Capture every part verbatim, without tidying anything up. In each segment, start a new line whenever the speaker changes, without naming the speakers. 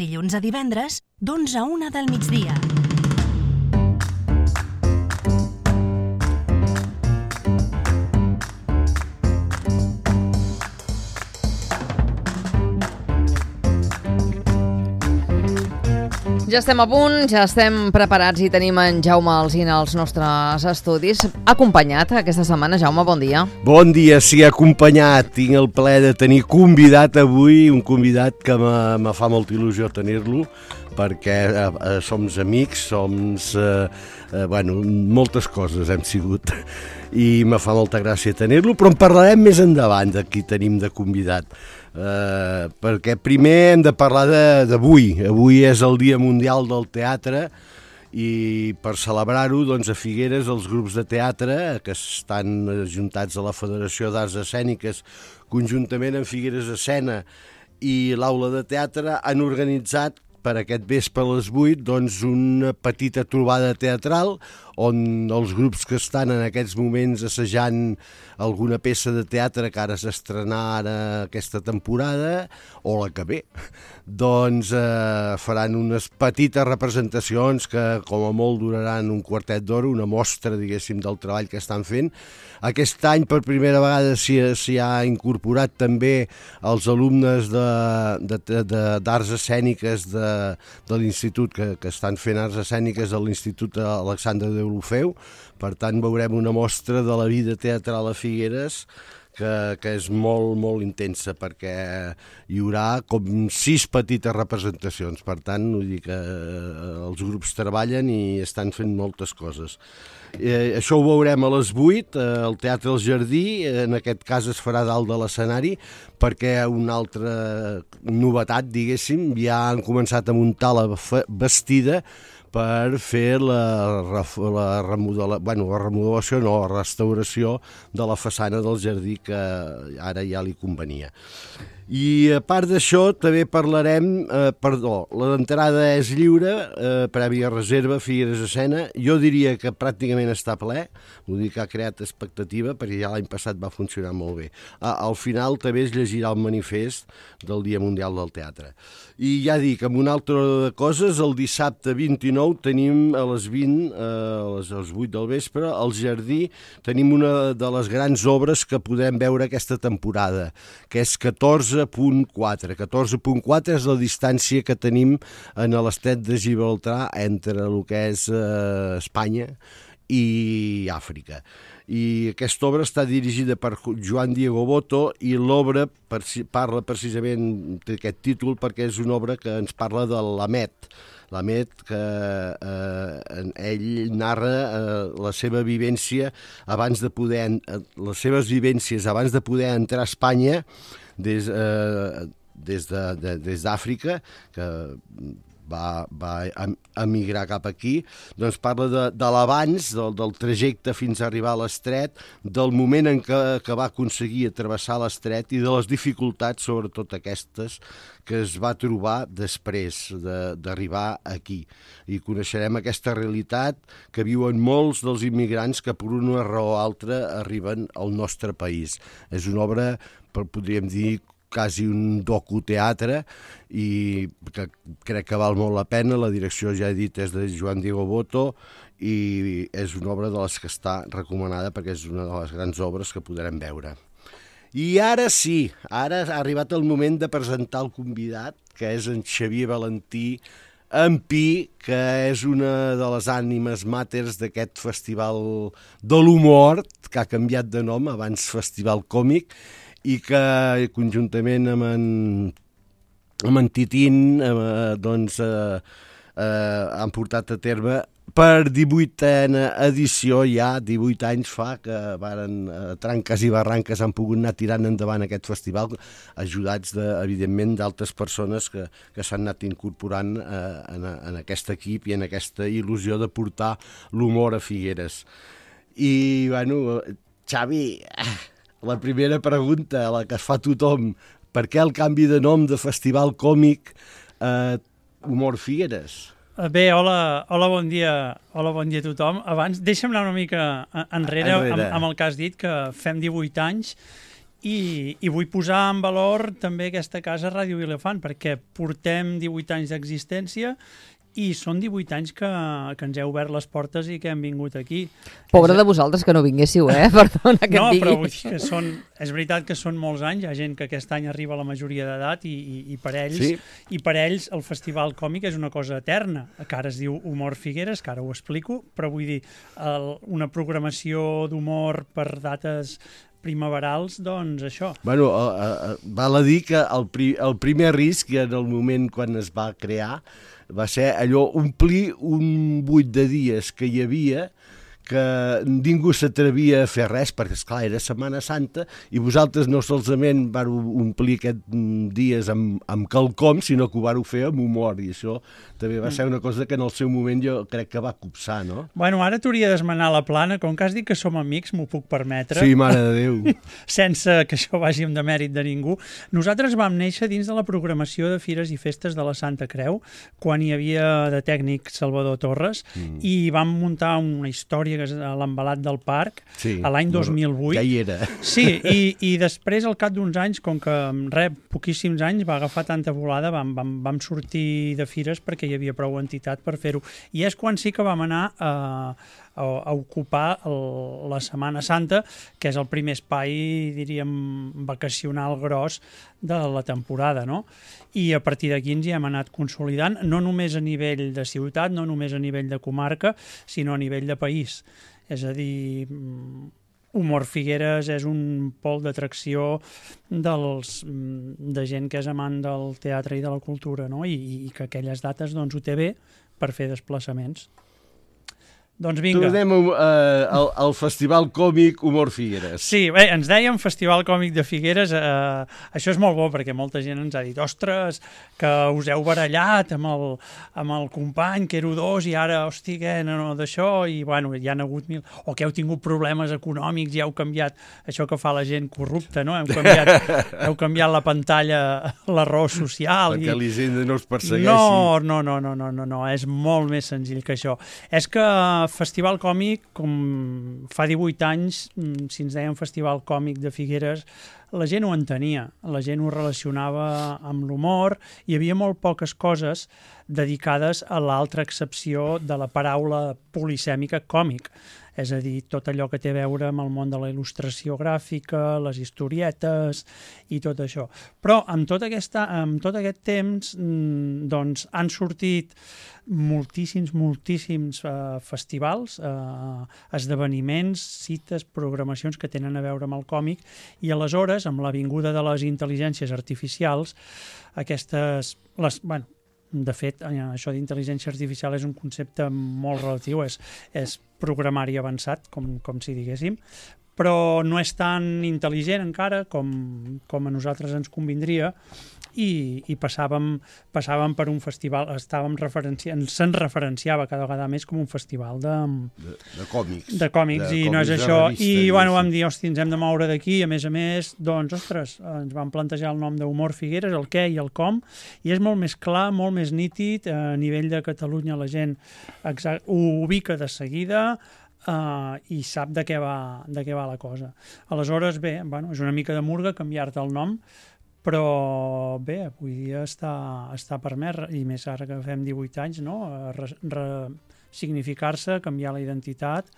Dilluns a divendres, d'onze a una del migdia.
Ja estem a punt, ja estem preparats i tenim en Jaume Alsina als nostres estudis. Acompanyat aquesta setmana, Jaume, bon dia.
Bon dia, sí, acompanyat. Tinc el plaer de tenir convidat avui, un convidat que me fa molta il·lusió tenir-lo, perquè eh, som amics, som, eh, eh, bueno, moltes coses hem sigut, i me fa molta gràcia tenir-lo, però en parlarem més endavant de qui tenim de convidat. Uh, perquè primer hem de parlar d'avui. Avui és el Dia Mundial del Teatre i per celebrar-ho, doncs, a Figueres els grups de teatre que estan ajuntats a la Federació d'Arts Escèniques conjuntament amb Figueres Escena i l'Aula de Teatre han organitzat per aquest vespre a les vuit doncs, una petita trobada teatral on els grups que estan en aquests moments assajant alguna peça de teatre que ara s'estrenarà aquesta temporada o la que ve, doncs eh, faran unes petites representacions que com a molt duraran un quartet d'hora, una mostra, diguéssim, del treball que estan fent. Aquest any per primera vegada s'hi ha incorporat també els alumnes d'arts escèniques de, de l'institut que, que estan fent arts escèniques a l'Institut Alexandre de Deulofeu. Per tant, veurem una mostra de la vida teatral a Figueres que, que és molt, molt intensa, perquè hi haurà com sis petites representacions. Per tant, vull dir que els grups treballen i estan fent moltes coses. Eh, això ho veurem a les vuit, eh, al Teatre del Jardí. En aquest cas es farà dalt de l'escenari, perquè una altra novetat, diguéssim, ja han començat a muntar la vestida per fer la, la, remodela, bueno, la remodelació, no, la restauració de la façana del jardí que ara ja li convenia. I a part d'això també parlarem, eh, perdó, l'entrada és lliure, eh, prèvia reserva, Figueres Escena. Jo diria que pràcticament està ple, vull dir que ha creat expectativa perquè ja l'any passat va funcionar molt bé. Ah, al final també es llegirà el manifest del Dia Mundial del Teatre. I ja dic, amb una altra de coses, el dissabte vint-i-nou tenim a les vint, eh, a les vuit del vespre, al Jardí, tenim una de les grans obres que podem veure aquesta temporada, que és catorze punt quatre. catorze punt quatre és la distància que tenim en l'estret de Gibraltar entre el que és eh, Espanya i Àfrica. I aquesta obra està dirigida per Joan Diego Boto i l'obra parla precisament d'aquest títol perquè és una obra que ens parla de l'Amet. L'Amet, que eh, ell narra eh, la seva vivència abans de poder, eh, les seves vivències abans de poder entrar a Espanya des, eh, des de, de, des d'Àfrica, que va, va emigrar cap aquí. Doncs parla de, de l'abans, del, del trajecte fins a arribar a l'estret, del moment en què, que va aconseguir travessar l'estret i de les dificultats, sobretot aquestes, que es va trobar després d'arribar aquí. I coneixerem aquesta realitat que viuen molts dels immigrants que per una raó o altra arriben al nostre país. És una obra, podríem dir, quasi un docuteatre i que crec que val molt la pena. La direcció, ja he dit, és de Joan Diego Boto i és una obra de les que està recomanada perquè és una de les grans obres que podrem veure. I ara sí, ara ha arribat el moment de presentar el convidat, que és en Xavier Valentí, en Pi, que és una de les ànimes màters d'aquest festival de l'humor, que ha canviat de nom, abans Festival Còmic, i que conjuntament amb en, amb en Titín eh, doncs, eh, eh, han portat a terme per divuitena edició, ja divuit anys fa que varen, eh, tranques i barranques han pogut anar tirant endavant aquest festival, ajudats de, evidentment d'altres persones que, que s'han anat incorporant eh, en, en aquest equip i en aquesta il·lusió de portar l'humor a Figueres. I, bueno, Xavi, la primera pregunta, la que es fa tothom, per què el canvi de nom de Festival Còmic eh, Humor Figueres?
Bé, hola, hola, bon dia, hola, bon dia a tothom. Abans, deixa'm anar una mica enrere, enrere. Amb, amb el que has dit, que fem divuit anys I, i vull posar en valor també aquesta casa Ràdio Vilafant, perquè portem divuit anys d'existència i són divuit anys que, que ens heu obert les portes i que hem vingut aquí.
Pobre de vosaltres que no vinguéssiu, eh? Perdona que
no,
et digui.
però vull dir que són, és veritat que són molts anys, hi ha gent que aquest any arriba a la majoria d'edat i, i, i, per ells,
sí.
i per ells el Festival Còmic és una cosa eterna, que ara es diu Humor Figueres, que ara ho explico, però vull dir, el, una programació d'humor per dates primaverals, doncs això.
Bueno, uh, uh, val a dir que el, pri el primer risc, en el moment quan es va crear, va ser allò, omplir un buit de dies que hi havia que ningú s'atrevia a fer res, perquè, esclar, era Setmana Santa, i vosaltres no solament vareu omplir aquests dies amb, amb quelcom, sinó que ho vareu fer amb humor, i això també va ser una cosa que en el seu moment jo crec que va copsar, no?
Bueno, ara t'hauria d'esmenar la plana, com que has dit que som amics, m'ho puc permetre.
Sí, mare de Déu.
Sense que això vagi amb demèrit de ningú. Nosaltres vam néixer dins de la programació de Fires i Festes de la Santa Creu, quan hi havia de tècnic Salvador Torres, mm. i vam muntar una història que és a l'Embalat del Parc,
sí,
a l'any dos mil vuit.
Ja hi era.
Sí, i, i després, al cap d'uns anys, com que rep poquíssims anys, va agafar tanta volada, vam, vam, vam sortir de fires perquè hi havia prou entitat per fer-ho. I és quan sí que vam anar a, a, a ocupar el, la Setmana Santa, que és el primer espai, diríem, vacacional gros de la temporada, no? I a partir d'aquí ens hi hem anat consolidant, no només a nivell de ciutat, no només a nivell de comarca, sinó a nivell de país. És a dir, Humor Figueres és un pol d'atracció dels, de gent que és amant del teatre i de la cultura, no? I, i que aquelles dates doncs, ho té bé per fer desplaçaments. Doncs vinga.
Tornem uh, al, al Festival Còmic Humor Figueres.
Sí, bé, ens dèiem Festival Còmic de Figueres. Uh, això és molt bo perquè molta gent ens ha dit ostres, que us heu barallat amb el, amb el company, que ero dos, i ara, hosti, què, no, no, d'això, i bueno, hi ha hagut mil... O que heu tingut problemes econòmics i heu canviat això que fa la gent corrupta, no? Heu canviat, heu canviat la pantalla, l'arròs social.
Perquè
i...
l'Hisenda no us persegueixi.
No, no, no, no, no, no, no, és molt més senzill que això. És que Festival Còmic, com fa divuit anys, si ens deien Festival Còmic de Figueres, la gent ho entenia, la gent ho relacionava amb l'humor, hi havia molt poques coses dedicades a l'altra accepció de la paraula polisèmica còmic, és a dir, tot allò que té a veure amb el món de la il·lustració gràfica, les historietes i tot això. Però amb tot, aquesta, amb tot aquest temps doncs, han sortit moltíssims, moltíssims uh, festivals, uh, esdeveniments, cites, programacions que tenen a veure amb el còmic, i aleshores, amb la vinguda de les intel·ligències artificials, aquestes... Les, bueno, de fet, això d'intel·ligència artificial és un concepte molt relatiu, és, és programari avançat, com, com si diguéssim, però no és tan intel·ligent encara com, com a nosaltres ens convindria, i, i passàvem, passàvem per un festival, estàvem referenciant, se'n referenciava cada vegada més com un festival de,
de, de còmics,
de còmics de i còmics no és això, revista, i bueno, vam dir, hosti, ens hem de moure d'aquí, a més a més, doncs, ostres, ens vam plantejar el nom d'Humor Figueres, el què i el com, i és molt més clar, molt més nítid, a nivell de Catalunya la gent exact, ho ubica de seguida, Uh, i sap de què, va, de què va la cosa. Aleshores, bé, bueno, és una mica de murga canviar-te el nom, però bé, avui dia està, està permès, i més ara que fem divuit anys, no? Re, re, significar-se, canviar la identitat,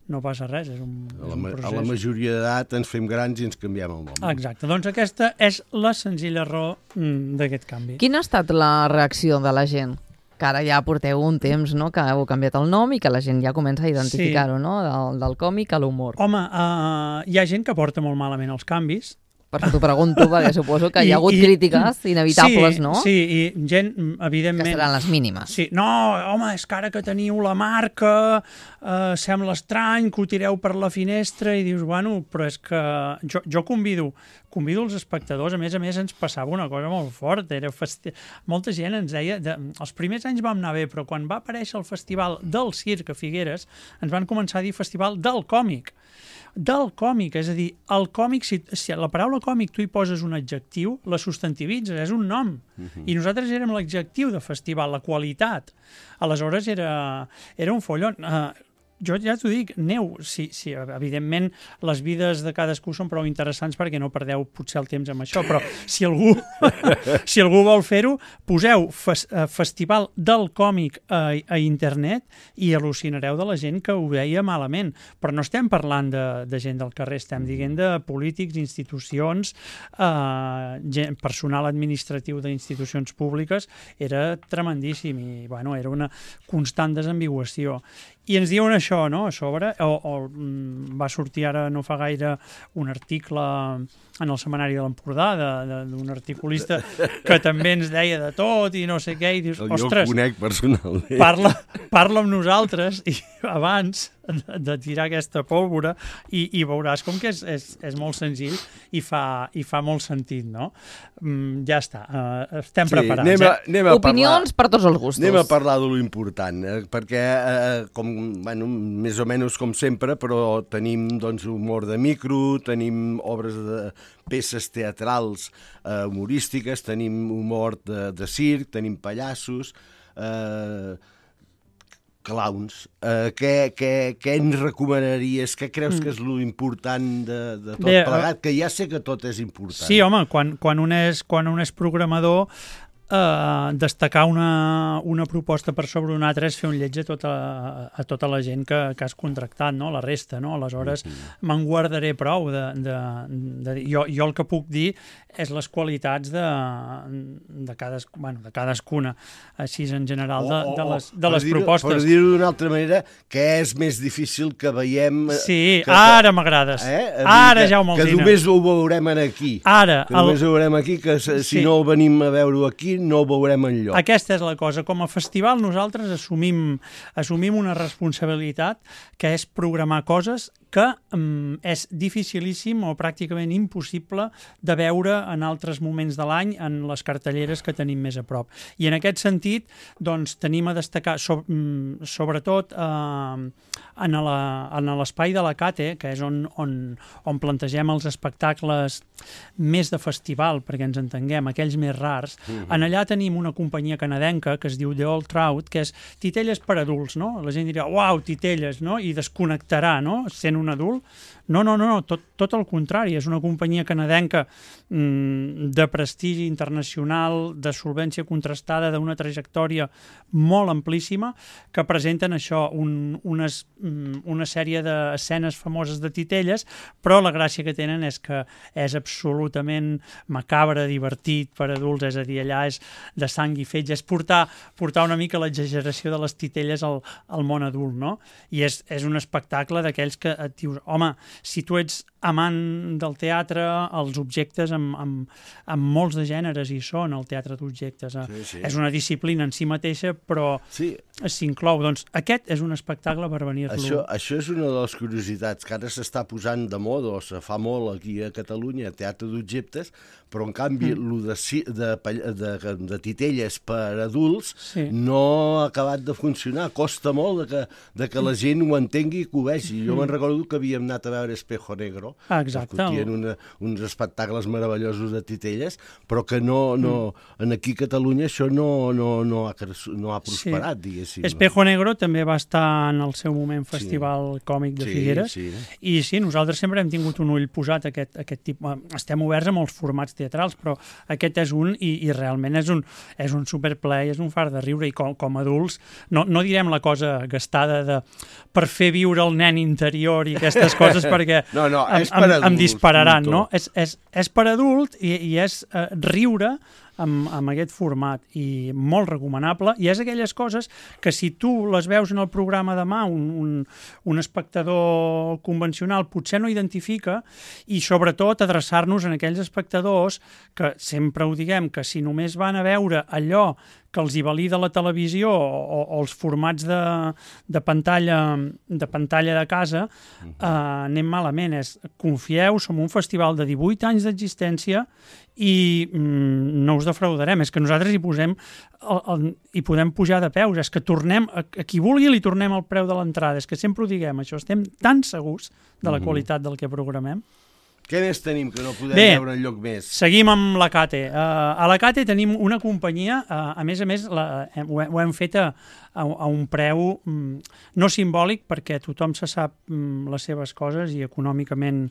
no passa res, és un,
a la,
és un procés.
A la majoria d'edat ens fem grans i ens canviem el nom.
Exacte, doncs aquesta és la senzilla raó d'aquest canvi.
Quina ha estat la reacció de la gent? Que ara ja porteu un temps, no?, que heu canviat el nom i que la gent ja comença a identificar-ho, sí. No?, del, del còmic a l'humor.
Home, uh, hi ha gent que porta molt malament els canvis.
Per això t'ho pregunto, perquè suposo que I, hi ha hagut i, crítiques inevitables,
sí,
no?
Sí, i gent, evidentment...
Que seran les mínimes.
Sí, no, home, és que ara que teniu la marca, eh, sembla estrany que ho tireu per la finestra, i dius, bueno, però és que jo, jo convido, convido els espectadors, a més a més ens passava una cosa molt forta, era festi... molta gent ens deia, de... els primers anys vam anar bé, però quan va aparèixer el festival del circ a Figueres, ens van començar a dir festival del còmic. Del còmic, és a dir, el còmic, si, si a la paraula còmic tu hi poses un adjectiu, la substantivitzes, és un nom. Uh-huh. I nosaltres érem l'adjectiu de festival, la qualitat. Aleshores era, era un follon. Uh, jo ja t'ho dic, aneu, sí, sí, evidentment les vides de cadascú són prou interessants perquè no perdeu potser el temps amb això, però si algú, si algú vol fer-ho, poseu fes, uh, Festival del Còmic a, a internet i al·lucinareu de la gent que ho veia malament. Però no estem parlant de, de gent del carrer, estem dient de polítics, institucions, uh, gent, personal administratiu d'institucions públiques. Era tremendíssim i bueno, era una constant desambiguació. I ens diuen això, no?, a sobre, o, o va sortir ara no fa gaire un article en el Setmanari de l'Empordà d'un articulista que també ens deia de tot i no sé què, i dius, ostres,
jo conec personalment.
Parla, parla amb nosaltres i abans de, de tirar aquesta pólvora i, i veuràs com que és, és, és molt senzill i fa, i fa molt sentit, no? Mm, ja està, uh, estem
sí,
preparats.
Anem a, anem a
Opinions
parlar,
per tots els gustos.
Anem a parlar de lo important, eh, perquè, eh, com, bueno, més o menys com sempre, però tenim doncs, humor de micro, tenim obres de peces teatrals eh, humorístiques, tenim humor de, de circ, tenim pallassos, eh, clowns. Uh, què, què, què ens recomanaries? Què creus que és lo important de, de tot Bé, plegat? Que ja sé que tot és important.
Sí, home, quan, quan, un, és, quan un és programador, Uh, destacar una, una proposta per sobre una altra és fer un lleig a tota, a tota la gent que, que has contractat, no? La resta, no? Aleshores, mm-hmm. me'n guardaré prou de, de, de, jo, jo el que puc dir és les qualitats de, de, cades, bueno, de cadascuna, així en general, de, de les, de les
dir,
propostes.
Per dir-ho d'una altra manera, què és més difícil que veiem...
Sí,
que,
ara m'agrades.
Eh?
Ara,
que,
Jaume
Alsina. Que només ho veurem aquí.
Ara.
Que només el... ho veurem aquí, que si sí. no venim a veure-ho aquí, no ho veurem enlloc.
Aquesta és la cosa. Com a festival nosaltres assumim, assumim una responsabilitat que és programar coses que um, és dificilíssim o pràcticament impossible de veure en altres moments de l'any en les cartelleres que tenim més a prop. I en aquest sentit, doncs, tenim a destacar, so, um, sobretot, eh, en l'espai de la Cate, que és on, on, on plantegem els espectacles més de festival, perquè ens entenguem, aquells més rars. Mm-hmm. En allà tenim una companyia canadenca que es diu The Old Trout, que és titelles per adults, no? La gent dirà, uau, titelles, no? I desconnectarà, no?, sent un adult. No, no, no, no tot, tot el contrari. És una companyia canadenca mmm, de prestigi internacional, de solvència contrastada, d'una trajectòria molt amplíssima, que presenten això, un, unes, mm, una sèrie d'escenes famoses de titelles, però la gràcia que tenen és que és absolutament macabre, divertit per adults, és a dir, allà és de sang i fetge, és portar, portar una mica l'exageració de les titelles al, al món adult, no? I és, és un espectacle d'aquells que et dius, home, si tu ets amant del teatre, els objectes amb, amb, amb molts de gèneres hi són, el teatre d'objectes. Sí, sí. És una disciplina en si mateixa, però sí. s'inclou. Doncs aquest és un espectacle per venir-lo.
Això, això és una de les curiositats que ara s'està posant de moda, o se fa molt aquí a Catalunya, teatre d'objectes, però en canvi mm. lo de, de, de, de titelles per adults sí. no ha acabat de funcionar. Costa molt de que, de que la gent ho entengui i que ho vegi. Jo mm. me'n recordo que havíem anat a veure Espejo Negro,
ah, exacte.
que tenen una, uns espectacles meravellosos de titelles, però que no, no, en aquí a Catalunya això no, no, no, ha, no ha prosperat, sí. diguéssim.
Espejo Negro també va estar en el seu moment Festival sí. Còmic de sí, Figueres, sí. i sí, nosaltres sempre hem tingut un ull posat a aquest, aquest tipus. Estem oberts a molts formats teatrals, però aquest és un, i, i realment és un, és un superplay, és un far de riure, i com, com adults, no, no direm la cosa gastada de per fer viure el nen interior i aquestes coses, perquè
no, no,
em, em, em dispararan, no? És, és, és per adult i, i és uh, riure amb, amb aquest format, i molt recomanable, i és aquelles coses que si tu les veus en el programa demà, un, un, un espectador convencional potser no identifica, i sobretot adreçar-nos en aquells espectadors que sempre ho diguem, que si només van a veure allò que els hi valida la televisió o, o els formats de, de, pantalla, de pantalla de casa, eh, anem malament. És, confieu, som un festival de divuit anys d'existència i mm, no us defraudarem. És que nosaltres hi posem el, el, hi podem pujar de peus. És que tornem, a, a qui vulgui li tornem el preu de l'entrada. És que sempre ho diguem, això. Estem tan segurs de la qualitat del que programem.
Què més tenim que no podem
Bé,
veure enlloc més?
Seguim amb la Cate. Uh, a la Cate tenim una companyia, uh, a més a més la, eh, ho, ho hem fet a, a, a un preu um, no simbòlic, perquè tothom se sap um, les seves coses i econòmicament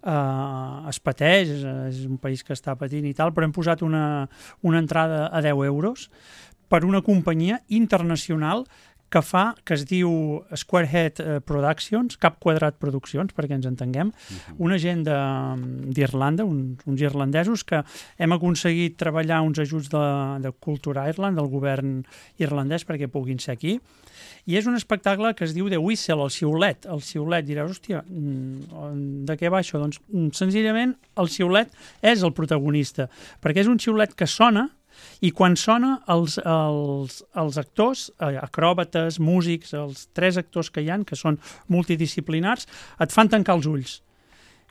Uh, es pateix, és, és un país que està patint i tal, però hem posat una, una entrada a deu euros per una companyia internacional que fa, que es diu Squarehead Productions, Cap Quadrat Produccions, perquè ens entenguem, uh-huh. una gent d'Irlanda, uns, uns irlandesos que hem aconseguit treballar uns ajuts de, de Culture Ireland, del govern irlandès, perquè puguin ser aquí. I és un espectacle que es diu The Whistle, el xiulet. El xiulet, diràs, hòstia, de què va això? Doncs senzillament el xiulet és el protagonista, perquè és un xiulet que sona i quan sona els, els, els actors, acròbates, músics, els tres actors que hi ha, que són multidisciplinars, et fan tancar els ulls.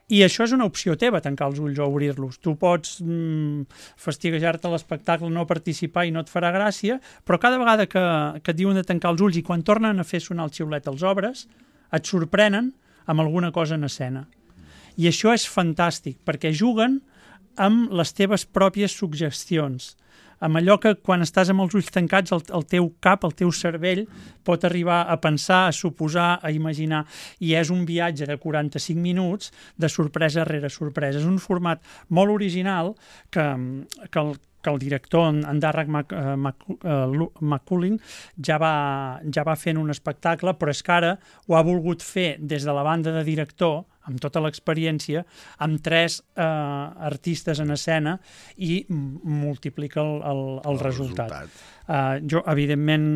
I això és una opció teva, tancar els ulls o obrir-los. Tu pots mm, fastiguejar-te l'espectacle, no participar i no et farà gràcia, però cada vegada que, que et diuen de tancar els ulls i quan tornen a fer sonar el xiulet als obres, et sorprenen amb alguna cosa en escena. I això és fantàstic, perquè juguen amb les teves pròpies suggestions, amb allò que quan estàs amb els ulls tancats el, el teu cap, el teu cervell pot arribar a pensar, a suposar, a imaginar, i és un viatge de quaranta-cinc minuts de sorpresa rere sorpresa. És un format molt original que, que el que el director, en Darragh MacCullin, ja va, ja va fent un espectacle, però és que ara ho ha volgut fer des de la banda de director, amb tota l'experiència, amb tres eh, artistes en escena i multiplica el, el, el, el resultat. resultat. Uh, jo, evidentment,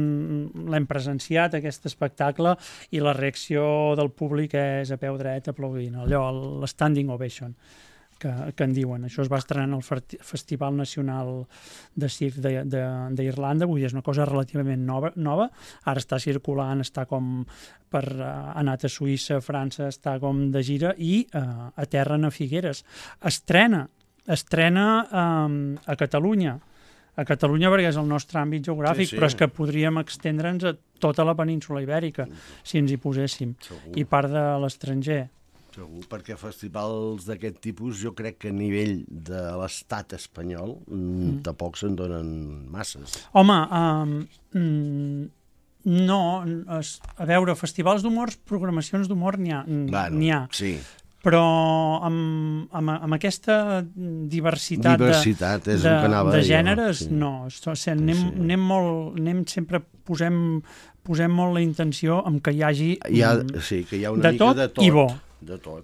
l'hem presenciat, aquest espectacle, i la reacció del públic és a peu dret aplaudint, allò, l'standing ovation. Que, que en diuen. Això es va estrenar en el Festival Nacional de Circ d'Irlanda, vull dir, és una cosa relativament nova, nova. Ara està circulant, està com per uh, anat a Suïssa, a França, està com de gira i uh, aterren a Figueres. Estrena, estrena um, a Catalunya, a Catalunya perquè és el nostre àmbit geogràfic, sí, sí. Però és que podríem estendre'ns a tota la península ibèrica, si ens hi poséssim, Segur. I part de l'estranger.
Segur, perquè festivals d'aquest tipus jo crec que a nivell de l'estat espanyol mm. tampoc se'n donen masses.
Home, um, no, es, a veure, festivals d'humor, programacions d'humor n'hi ha,
bueno,
n'hi ha.
Sí.
Però amb, amb, amb aquesta diversitat,
diversitat
de,
és de, que
de gèneres,
jo, sí.
no. O sigui, anem, sí. anem molt, anem sempre, posem, posem molt la intenció en que hi hagi
hi ha, sí, que hi ha una
de
mica
tot
de tot.
I bo.
De tot.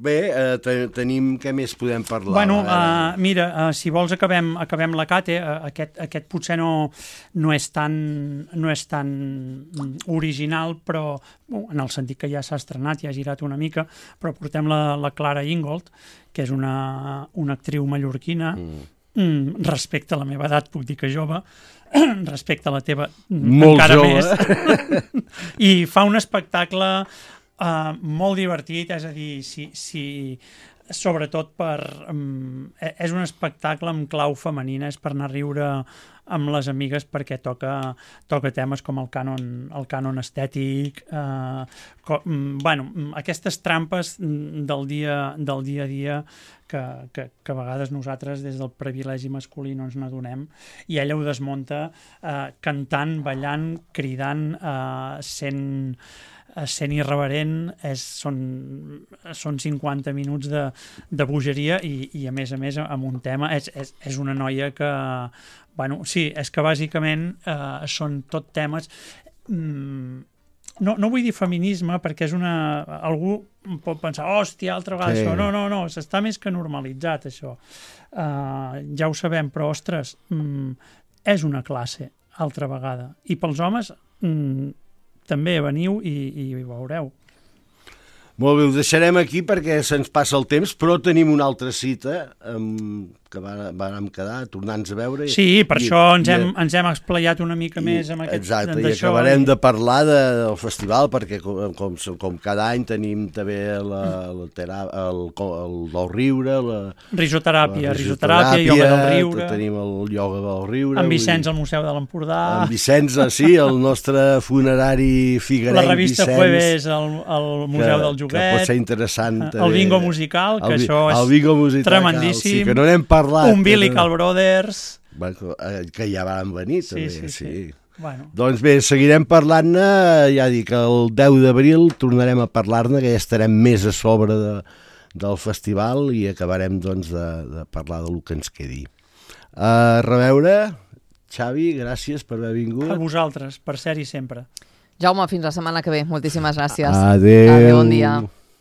Bé, eh, te, tenim... Què més podem parlar?
Bueno, uh, mira, uh, si vols acabem, acabem la Cate. Uh, aquest, aquest potser no, no, és tan, no és tan original, però uh, en el sentit que ja s'ha estrenat, ja ha girat una mica, però portem la, la Clara Ingold, que és una, una actriu mallorquina, mm. Mm, respecte a la meva edat, puc dir que jove, respecte a la teva
molt
encara
jove.
Més, i fa un espectacle Uh, molt divertit, és a dir, si, si, sobretot per... Um, és un espectacle amb clau femenina, és per anar a riure amb les amigues perquè toca, toca temes com el cànon, el cànon estètic, uh, com, bueno, aquestes trampes del dia, del dia a dia que, que, que a vegades nosaltres des del privilegi masculí no ens n'adonem, i ella ho desmunta uh, cantant, ballant, cridant, uh, sent... sent irreverent, és, són, són cinquanta minuts de, de bogeria i, i a més a més amb un tema, és, és, és una noia que, bueno, sí, és que bàsicament eh, són tot temes, mm, no, no vull dir feminisme perquè és una, algú pot pensar, hòstia, altra vegada sí. Això, no, no, no, s'està més que normalitzat això, uh, ja ho sabem, però ostres, mm, és una classe altra vegada, i pels homes mm, també veniu i, i ho veureu.
Molt bé, ho deixarem aquí perquè se'ns passa el temps, però tenim una altra cita um, que vàrem quedar, tornant-nos a veure.
Sí, per i, això ens, i, hem, ens hem explayat una mica i, més amb aquest...
Exacte, i acabarem i... de parlar de, del festival, perquè com, com, com cada any tenim també la, la terà, el, el del riure, la
risoteràpia, la risoteràpia, ioga del riure.
Tenim el ioga del riure.
En Vicenç, al Museu de l'Empordà.
En Vicenç, sí, el nostre funerari figuerenc
La revista
Vicenç,
Jueves, al, al Museu que, del Jugador. joguets,
que pot ser interessant.
el bingo musical, que
el,
això és
el bingo musical,
tremendíssim,
sí, que no n'hem parlat.
Umbilical no... Brothers...
Que ja van venir,
sí,
també,
sí. sí.
sí.
Bueno.
Doncs bé, seguirem parlant-ne, ja dic, el deu d'abril tornarem a parlar-ne, que ja estarem més a sobre de, del festival i acabarem doncs, de, de parlar del que ens quedi. A reveure, Xavi, gràcies per haver vingut.
A vosaltres, per ser-hi sempre.
Jaume, fins la setmana que ve. Moltíssimes gràcies.
Adéu.
Adéu, bon dia.